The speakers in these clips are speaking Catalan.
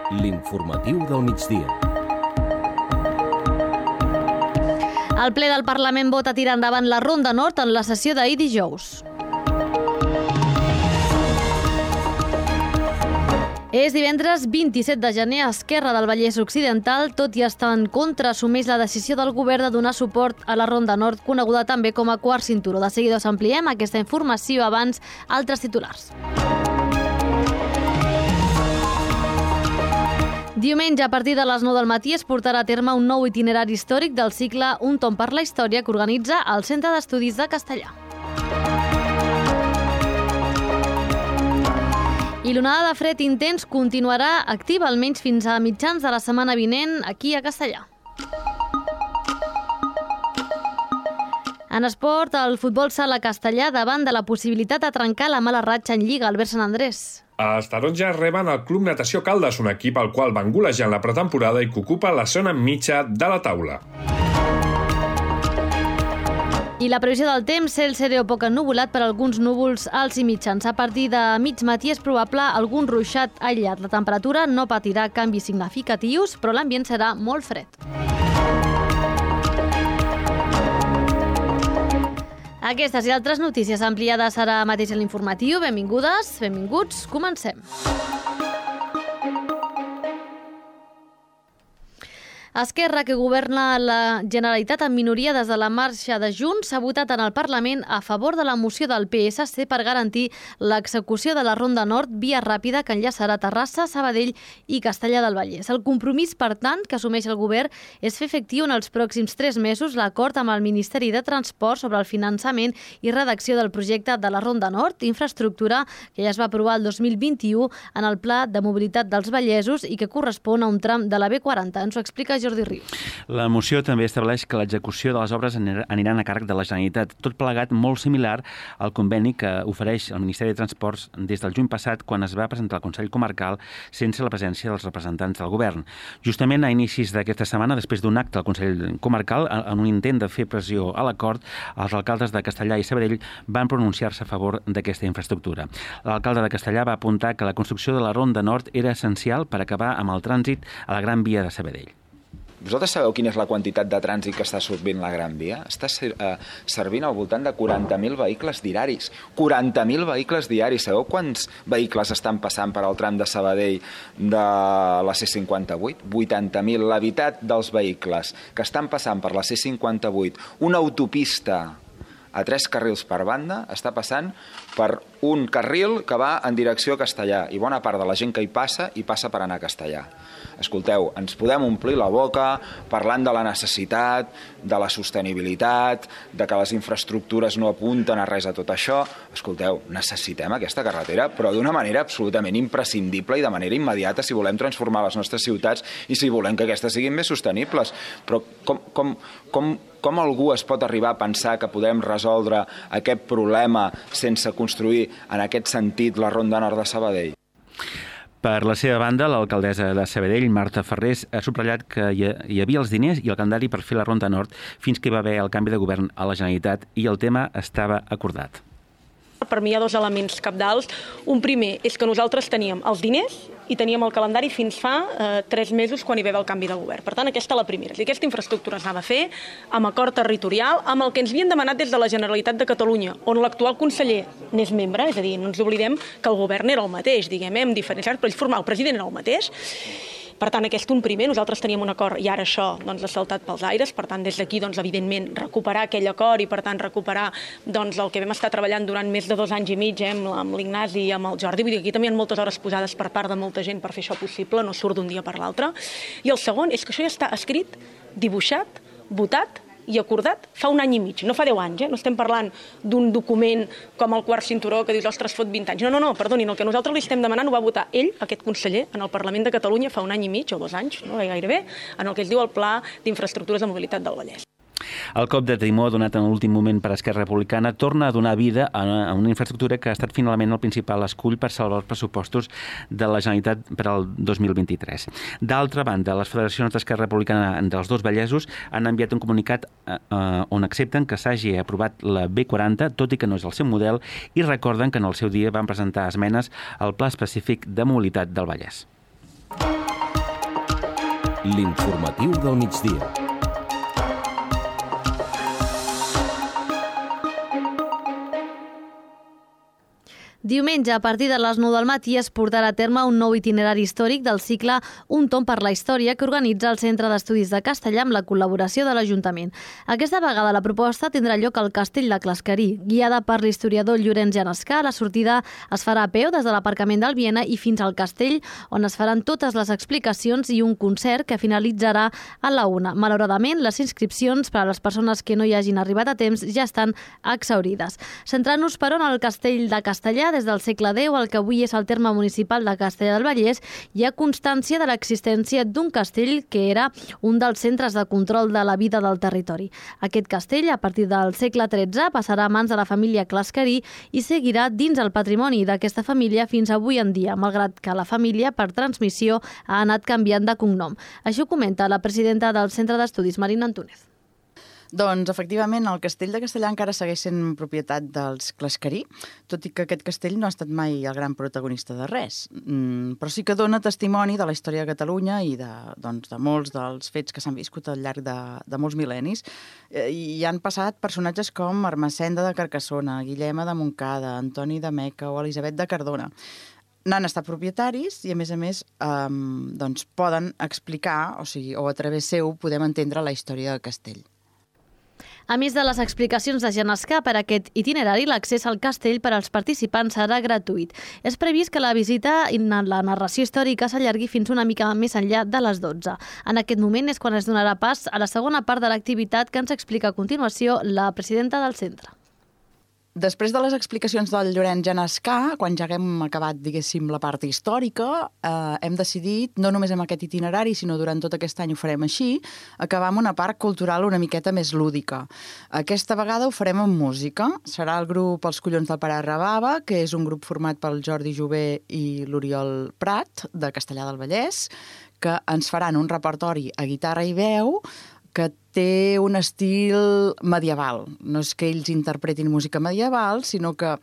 L'informatiu del migdia. El ple del Parlament vota tirar endavant la Ronda Nord en la sessió d'ahir dijous. És divendres 27 de gener. Esquerra del Vallès Occidental, tot i estar en contra, assumeix la decisió del govern de donar suport a la Ronda Nord, coneguda també com a quart cinturó. De seguida us ampliem aquesta informació, abans altres titulars. Diumenge, a partir de les 9 del matí, es portarà a terme un nou itinerari històric del cicle Un tomb per la història que organitza el Centre d'Estudis de Castellar. I l'onada de fred intens continuarà activa almenys fins a mitjans de la setmana vinent aquí a Castellar. En esport, el futbol sala Castellar davant de la possibilitat de trencar la mala ratxa en Lliga, Albert Sant Andrés. Els taronges reben el Club Natació Caldes, un equip al qual van golejar en la pretemporada i que ocupa la zona mitja de la taula. I la previsió del temps, cel serè o poc ennuvolat per alguns núvols alts i mitjans. A partir de mig matí és probable algun ruixat aïllat. La temperatura no patirà canvis significatius, però l'ambient serà molt fred. Aquestes i altres notícies ampliades ara mateix a l'informatiu. Benvingudes, benvinguts, comencem. Esquerra, que governa la Generalitat en minoria des de la marxa de Junts, ha votat en el Parlament a favor de la moció del PSC per garantir l'execució de la Ronda Nord via ràpida que enllaçarà Terrassa, Sabadell i Castellar del Vallès. El compromís, per tant, que assumeix el govern és fer efectiu en els pròxims 3 mesos l'acord amb el Ministeri de Transport sobre el finançament i redacció del projecte de la Ronda Nord, infraestructura que ja es va aprovar el 2021 en el Pla de Mobilitat dels Vallesos i que correspon a un tram de la B40. Ens ho explica Jordi Rius. La moció també estableix que l'execució de les obres aniran a càrrec de la Generalitat, tot plegat molt similar al conveni que ofereix el Ministeri de Transports des del juny passat, quan es va presentar al Consell Comarcal sense la presència dels representants del govern. Justament a inicis d'aquesta setmana, després d'un acte al Consell Comarcal, en un intent de fer pressió a l'acord, els alcaldes de Castellar i Sabadell van pronunciar-se a favor d'aquesta infraestructura. L'alcalde de Castellar va apuntar que la construcció de la Ronda Nord era essencial per acabar amb el trànsit a la Gran Via de Sabadell. Vosaltres sabeu quina és la quantitat de trànsit que està servint la Gran Via? Està servint al voltant de 40.000 vehicles diaris. 40.000 vehicles diaris. Sabeu quants vehicles estan passant per al tram de Sabadell de la C58? 80.000. La meitat dels vehicles que estan passant per la C58, una autopista a 3 carrils per banda, està passant per un carril que va en direcció a Castellar, i bona part de la gent que hi passa per anar a Castellar. Escolteu, ens podem omplir la boca parlant de la necessitat, de la sostenibilitat, de que les infraestructures no apunten a res a tot això. Escolteu, necessitem aquesta carretera, però d'una manera absolutament imprescindible i de manera immediata si volem transformar les nostres ciutats i si volem que aquestes siguin més sostenibles. Però com algú es pot arribar a pensar que podem resoldre aquest problema sense construir en aquest sentit la Ronda Nord de Sabadell? Per la seva banda, l'alcaldessa de Sabadell, Marta Ferrés, ha subratllat que hi havia els diners i el calendari per fer la Ronda Nord fins que hi va haver el canvi de govern a la Generalitat i el tema estava acordat. Per mi hi ha 2 elements cabdals. Un primer és que nosaltres teníem els diners i teníem el calendari fins fa 3 mesos quan hi va haver el canvi de govern. Per tant, aquesta és la primera. I aquesta infraestructura s'ha de fer amb acord territorial, amb el que ens havien demanat des de la Generalitat de Catalunya, on l'actual conseller n'és membre, és a dir, no ens oblidem que el govern era el mateix, diguem, diferenciat, però el president era el mateix. Per tant, aquest un primer, nosaltres teníem un acord i ara això ha saltat pels aires, per tant, des d'aquí, evidentment, recuperar aquell acord i, per tant, recuperar el que vam estar treballant durant més de 2 anys i mig amb l'Ignasi i amb el Jordi. Vull dir, aquí també hi ha moltes hores posades per part de molta gent per fer això possible, no surt d'un dia per l'altre. I el segon és que això ja està escrit, dibuixat, votat i acordat fa 1 any i mig, no fa 10 anys, no estem parlant d'un document com el quart cinturó que dius, ostres, fot 20 anys. No, perdonin, el que nosaltres li estem demanant ho va votar ell, aquest conseller, en el Parlament de Catalunya fa 1 any i mig o 2 anys, no gairebé, en el que es diu el Pla d'Infraestructures de Mobilitat del Vallès. El cop de timó donat en l'últim moment per Esquerra Republicana torna a donar vida a una infraestructura que ha estat finalment el principal escull per salvar els pressupostos de la Generalitat per al 2023. D'altra banda, les federacions d'Esquerra Republicana dels 2 Vallesos han enviat un comunicat on accepten que s'hagi aprovat la B40, tot i que no és el seu model, i recorden que en el seu dia van presentar esmenes al Pla Específic de Mobilitat del Vallès. L'informatiu del migdia. Diumenge, a partir de les 9 del matí, es portarà a terme un nou itinerari històric del cicle Un tomb per la història que organitza el Centre d'Estudis de Castellà amb la col·laboració de l'Ajuntament. Aquesta vegada la proposta tindrà lloc al Castell de Clasquerí. Guiada per l'historiador Llorenç Genescà, la sortida es farà a peu des de l'aparcament del Viena i fins al castell, on es faran totes les explicacions i un concert que finalitzarà a la 1. Malauradament, les inscripcions per a les persones que no hi hagin arribat a temps ja estan exhaurides. Centrant-nos, però, en el Castell de Castellà, des del segle X, el que avui és el terme municipal de Castellar del Vallès, hi ha constància de l'existència d'un castell que era un dels centres de control de la vida del territori. Aquest castell, a partir del segle XIII, passarà a mans de la família Clasquerí i seguirà dins el patrimoni d'aquesta família fins avui en dia, malgrat que la família, per transmissió, ha anat canviant de cognom. Això ho comenta la presidenta del Centre d'Estudis, Marina Antúnez. Doncs, efectivament, el castell de Castellà encara segueix sent propietat dels Clasquerí, tot i que aquest castell no ha estat mai el gran protagonista de res. Però sí que dona testimoni de la història de Catalunya i de molts dels fets que s'han viscut al llarg de molts mil·lennis. I han passat personatges com Ermessenda de Carcassona, Guillema de Montcada, Antoni de Meca o Elisabet de Cardona. N'han estat propietaris i, a més, poden explicar, o a través seu podem entendre la història del castell. A més de les explicacions de Genescà per a aquest itinerari, l'accés al castell per als participants serà gratuït. És previst que la visita i la narració històrica s'allargui fins una mica més enllà de les 12. En aquest moment és quan es donarà pas a la segona part de l'activitat que ens explica a continuació la presidenta del centre. Després de les explicacions del Llorenç Genescà, quan ja haguem acabat, diguéssim, la part històrica, hem decidit, no només amb aquest itinerari, sinó durant tot aquest any ho farem així, acabar amb una part cultural una miqueta més lúdica. Aquesta vegada ho farem amb música. Serà el grup Els Collons del Pare Rabava, que és un grup format pel Jordi Jové i l'Oriol Prat, de Castellar del Vallès, que ens faran un repertori a guitarra i veu que té un estil medieval. No és que ells interpretin música medieval, sinó que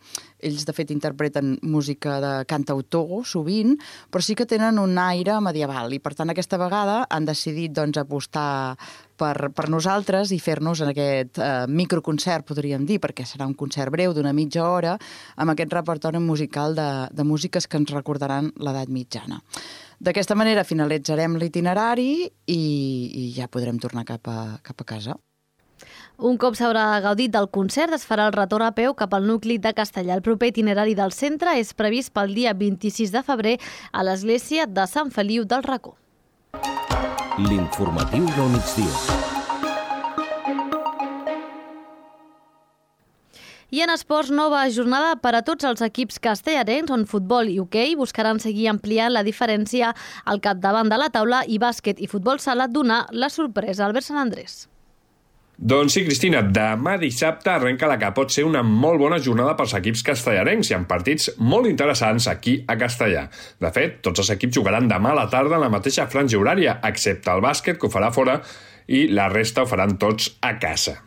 ells, de fet, interpreten música de cantautor, sovint, però sí que tenen un aire medieval. I, per tant, aquesta vegada han decidit apostar per nosaltres i fer-nos en aquest microconcert, podríem dir, perquè serà un concert breu d'una mitja hora, amb aquest repertori musical de músiques que ens recordaran l'edat mitjana. D'aquesta manera finalitzarem l'itinerari i ja podrem tornar cap a casa. Un cop s'haurà gaudit del concert, es farà el retorn a peu cap al nucli de Castellà. El proper itinerari del centre és previst pel dia 26 de febrer a l'església de Sant Feliu del Racó. L'informatiu del migdia. I en esports, nova jornada per a tots els equips castellarencs, on futbol i hoquei buscaran seguir ampliant la diferència al capdavant de la taula i bàsquet i futbol sala donar la sorpresa. Albert Sant Andrés. Doncs sí, Cristina, demà dissabte arrenca la que pot ser una molt bona jornada pels equips castellarencs i amb partits molt interessants aquí a Castellà. De fet, tots els equips jugaran demà a la tarda en la mateixa franja horària, excepte el bàsquet, que ho farà fora, i la resta ho faran tots a casa.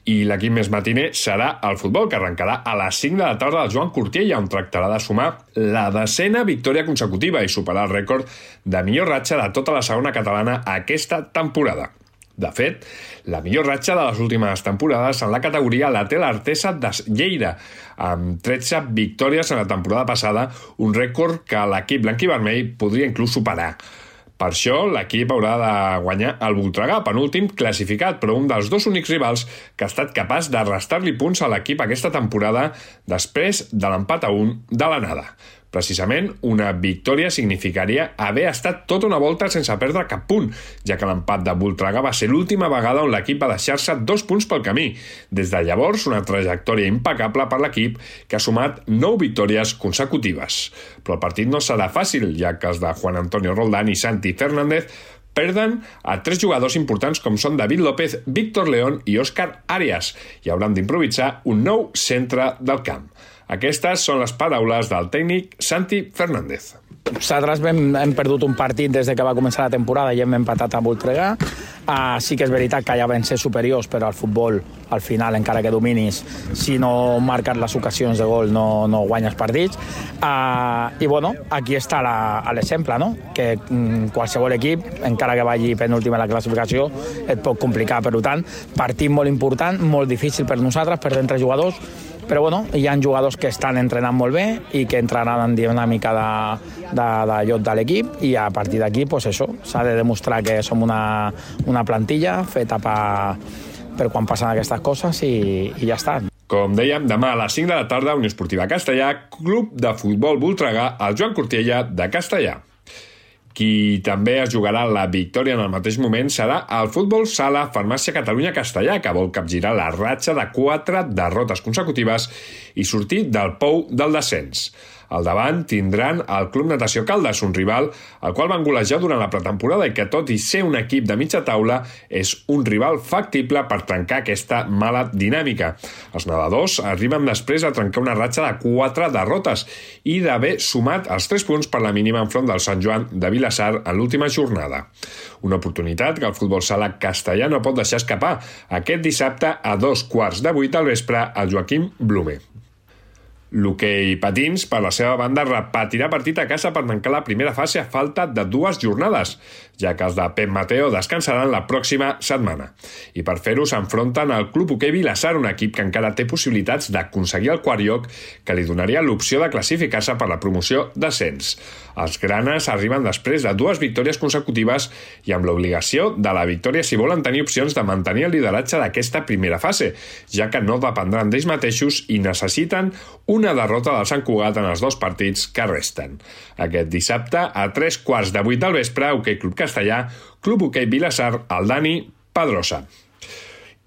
I l'equip més matiner serà el futbol, que arrencarà a les 5 de la tarda al Joan Cortiella, on tractarà de sumar la 10ª victòria consecutiva i superar el rècord de millor ratxa de tota la segona catalana aquesta temporada. De fet, la millor ratxa de les últimes temporades en la categoria la té l'Artesa de Lleida, amb 13 victòries en la temporada passada, un rècord que l'equip blanc-i-vermell podria inclús superar. Per això, l'equip haurà de guanyar el Voltregà, penúltim classificat, però un dels dos únics rivals que ha estat capaç de restar-li punts a l'equip aquesta temporada després de l'empat a 1 de l'anada. Precisament, una victòria significaria haver estat tota una volta sense perdre cap punt, ja que l'empat de Voltregà va ser l'última vegada on l'equip va deixar-se 2 punts pel camí. Des de llavors, una trajectòria impecable per l'equip que ha sumat 9 victòries consecutives. Però el partit no serà fàcil, ja que els de Juan Antonio Roldán i Santi Fernández perden a 3 jugadors importants com són David López, Víctor León i Òscar Arias i hauran d'improvisar un nou centre del camp. Aquestes són les paraules del tècnic Santi Fernández. Nosaltres hem perdut un partit des que va començar la temporada i hem empatat a Voltregà. Sí que és veritat que ja vam ser superiors, però al futbol, al final, encara que dominis, si no marques les ocasions de gol no guanyes partits. I bueno, aquí està l'exemple, no? Que qualsevol equip, encara que vagi penúltim a la classificació, et pot complicar. Per tant, partit molt important, molt difícil per nosaltres, per 30 jugadors, però bueno, hi ha jugadors que estan entrenant molt bé i que entraran en dinàmica de lloc de l'equip, i a partir d'aquí, pues això, s'ha de demostrar que som una plantilla feta per quan passen aquestes coses i ja està. Com dèiem, demà a les 5 de la tarda, Unió Esportiva Castellà, Club de Futbol Voltregà, al Joan Cortiella de Castellà. Qui també es jugarà la victòria en el mateix moment serà el Futbol Sala Farmàcia Catalunya Castellà, que vol capgirar la ratxa de 4 derrotes consecutives i sortir del pou del descens. Al davant tindran el Club Natació Caldes, un rival al qual van golejar durant la pretemporada i que, tot i ser un equip de mitja taula, és un rival factible per trencar aquesta mala dinàmica. Els nedadors arriben després a trencar una ratxa de 4 derrotes i d'haver sumat els 3 punts per la mínima enfront del Sant Joan de Vilassar en l'última jornada. Una oportunitat que el Futbol Sala Castellà no pot deixar escapar aquest dissabte a 2:15 del vespre al Joaquim Blume. L'hoquei patins, per la seva banda, repetirà partit a casa per tancar la primera fase a falta de 2 jornades, ja que els de Pep Mateo descansaran la pròxima setmana. I per fer-ho s'enfronten al Club Hoquei Vilassar, un equip que encara té possibilitats d'aconseguir el quart lloc, que li donaria l'opció de classificar-se per la promoció d'ascens. Els granes arriben després de 2 victòries consecutives i amb l'obligació de la victòria si volen tenir opcions de mantenir el lideratge d'aquesta primera fase, ja que no dependran d'ells mateixos i necessiten una derrota del Sant Cugat en els 2 partits que resten. Aquest dissabte, a 7:15 del vespre, Hoquei Club Castellà, Club Hoquei Vilassar, el Dani Pedrosa.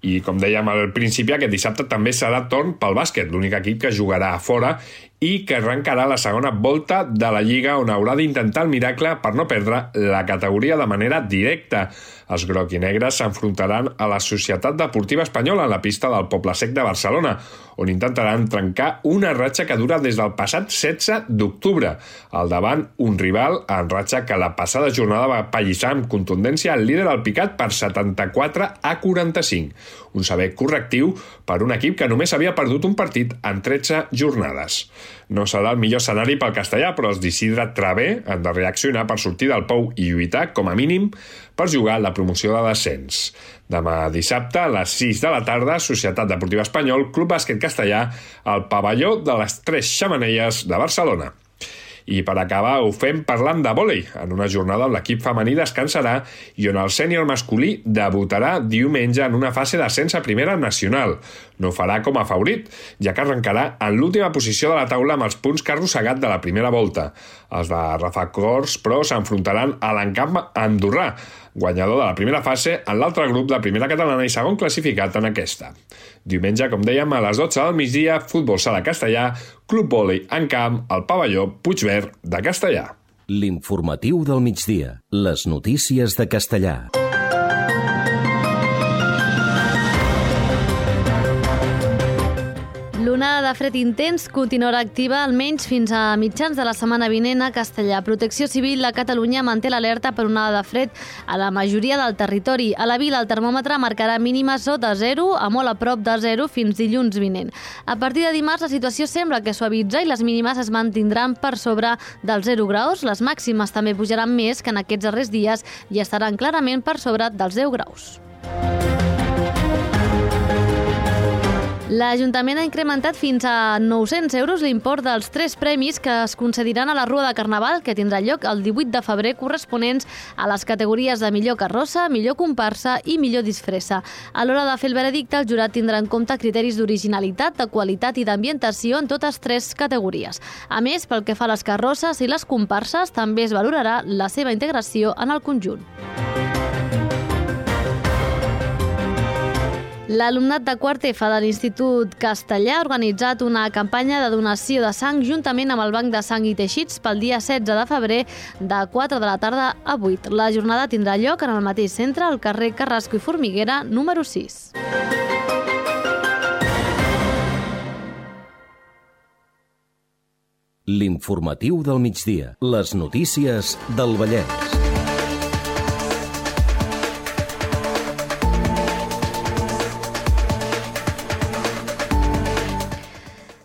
I, com dèiem al principi, aquest dissabte també serà torn pel bàsquet, l'únic equip que jugarà a fora i que arrencarà la segona volta de la Lliga, on haurà d'intentar el miracle per no perdre la categoria de manera directa. Els groc i negres s'enfrontaran a la Societat Deportiva Espanyola en la pista del Poble Sec de Barcelona, on intentaran trencar una ratxa que dura des del passat 16 d'octubre. Al davant, un rival en ratxa que la passada jornada va pallissar amb contundència el líder Alpicat per 74-45. Un sever correctiu per un equip que només havia perdut un partit en 13 jornades. No serà el millor escenari pel castellà, però els d'Isidre Travé han de reaccionar per sortir del pou i lluitar, com a mínim, per jugar la promoció de descens. Demà dissabte, a les 6 de la tarda, Societat Deportiva Espanyol, Club Bàsquet Castellà, al pavelló de les 3 Xemeneies de Barcelona. I per acabar ho fem parlant de vòlei, en una jornada on l'equip femení descansarà i on el sènior masculí debutarà diumenge en una fase d'ascens a primera nacional. No ho farà com a favorit, ja que arrencarà en l'última posició de la taula amb els punts que ha arrossegat de la primera volta. Els de Rafa Cors, però, s'enfrontaran a l'encamp andorrà, guanyador de la primera fase en l'altre grup de primera catalana i segon classificat en aquesta. Diumenge, com dèiem, a les 12 del migdia, Futbol Sala Castellà, Club Vòlei en camp, al pavelló Puigverd de Castellà. L'informatiu del migdia. Les notícies de Castellà. L'onada de fred intens continuarà activa almenys fins a mitjans de la setmana vinent a Castellà. Protecció Civil de Catalunya manté l'alerta per onada de fred a la majoria del territori. A la vila el termòmetre marcarà mínimes sota 0 a molt a prop de 0 fins dilluns vinent. A partir de dimarts la situació sembla que suavitza i les mínimes es mantindran per sobre dels 0 graus. Les màximes també pujaran més que en aquests darrers dies i estaran clarament per sobre dels 10 graus. L'Ajuntament ha incrementat fins a 900 euros l'import dels 3 premis que es concediran a la Rua de Carnaval, que tindrà lloc el 18 de febrer, corresponents a les categories de millor carrossa, millor comparsa i millor disfressa. A l'hora de fer el veredicte, el jurat tindrà en compte criteris d'originalitat, de qualitat i d'ambientació en totes 3 categories. A més, pel que fa a les carrosses i les comparses, també es valorarà la seva integració en el conjunt. L'alumnat de quart F de l'Institut Castellà ha organitzat una campanya de donació de sang juntament amb el Banc de Sang i Teixits pel dia 16 de febrer de 4 de la tarda a 8. La jornada tindrà lloc en el mateix centre, al carrer Carrasco i Formiguera, número 6. L'informatiu del migdia. Les notícies del Vallès.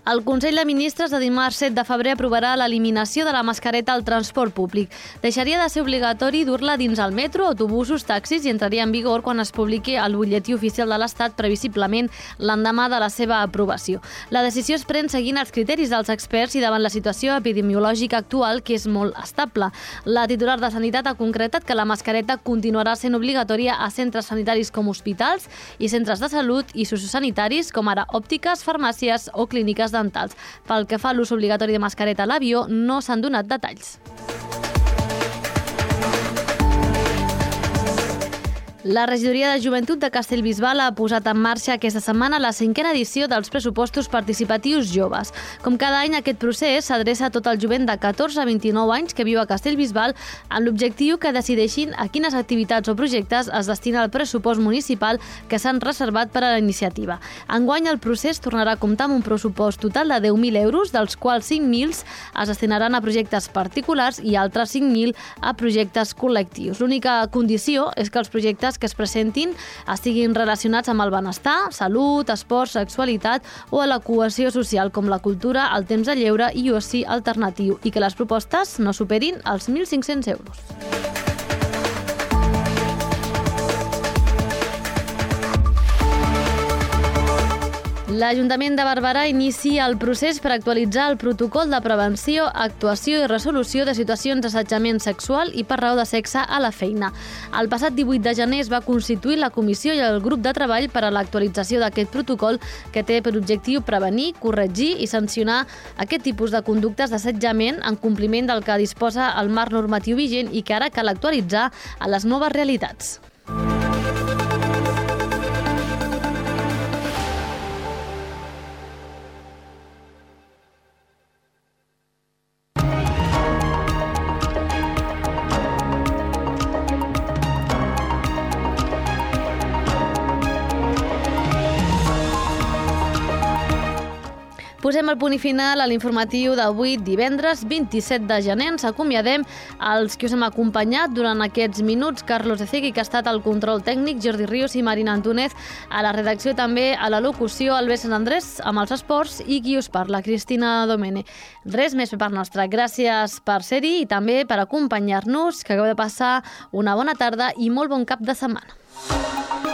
El Consell de Ministres de dimarts 7 de febrer aprovarà l'eliminació de la mascareta al transport públic. Deixaria de ser obligatori dur-la dins el metro, autobusos, taxis i entraria en vigor quan es publiqui al butlletí oficial de l'Estat, previsiblement l'endemà de la seva aprovació. La decisió es pren seguint els criteris dels experts i davant la situació epidemiològica actual, que és molt estable. La titular de Sanitat ha concretat que la mascareta continuarà sent obligatòria a centres sanitaris com hospitals i centres de salut i sociosanitaris com ara òptiques, farmàcies o clíniques dentals. Pel que fa a l'ús obligatori de mascareta a l'avió, no s'han donat detalls. La regidoria de Joventut de Castellbisbal ha posat en marxa aquesta setmana la 5a edició dels pressupostos participatius joves. Com cada any, aquest procés s'adreça a tot el jovent de 14 a 29 anys que viu a Castellbisbal amb l'objectiu que decideixin a quines activitats o projectes es destina el pressupost municipal que s'han reservat per a la iniciativa. Enguany, el procés tornarà a comptar amb un pressupost total de 10.000 euros, dels quals 5.000 es destinaran a projectes particulars i altres 5.000 a projectes col·lectius. L'única condició és que els projectes que es presentin estiguin relacionats amb el benestar, salut, esport, sexualitat o a la cohesió social, com la cultura, el temps de lleure i oci alternatiu, i que les propostes no superin els 1.500 euros. L'Ajuntament de Barberà inicia el procés per actualitzar el protocol de prevenció, actuació i resolució de situacions d'assetjament sexual i per raó de sexe a la feina. El passat 18 de gener es va constituir la comissió i el grup de treball per a l'actualització d'aquest protocol, que té per objectiu prevenir, corregir i sancionar aquest tipus de conductes d'assetjament en compliment del que disposa el marc normatiu vigent i que ara cal actualitzar a les noves realitats. Posem el punt i final a l'informatiu d'avui, divendres 27 de gener. Ens acomiadem als que us hem acompanyat durant aquests minuts. Carlos Ecegui, que ha estat al control tècnic, Jordi Ríos i Marina Antúnez, a la redacció també, a la locució, Albert Sant Andrés, amb els esports, i qui us parla, Cristina Domene. Res més per part nostra. Gràcies per ser-hi i també per acompanyar-nos, que acabeu de passar una bona tarda i molt bon cap de setmana.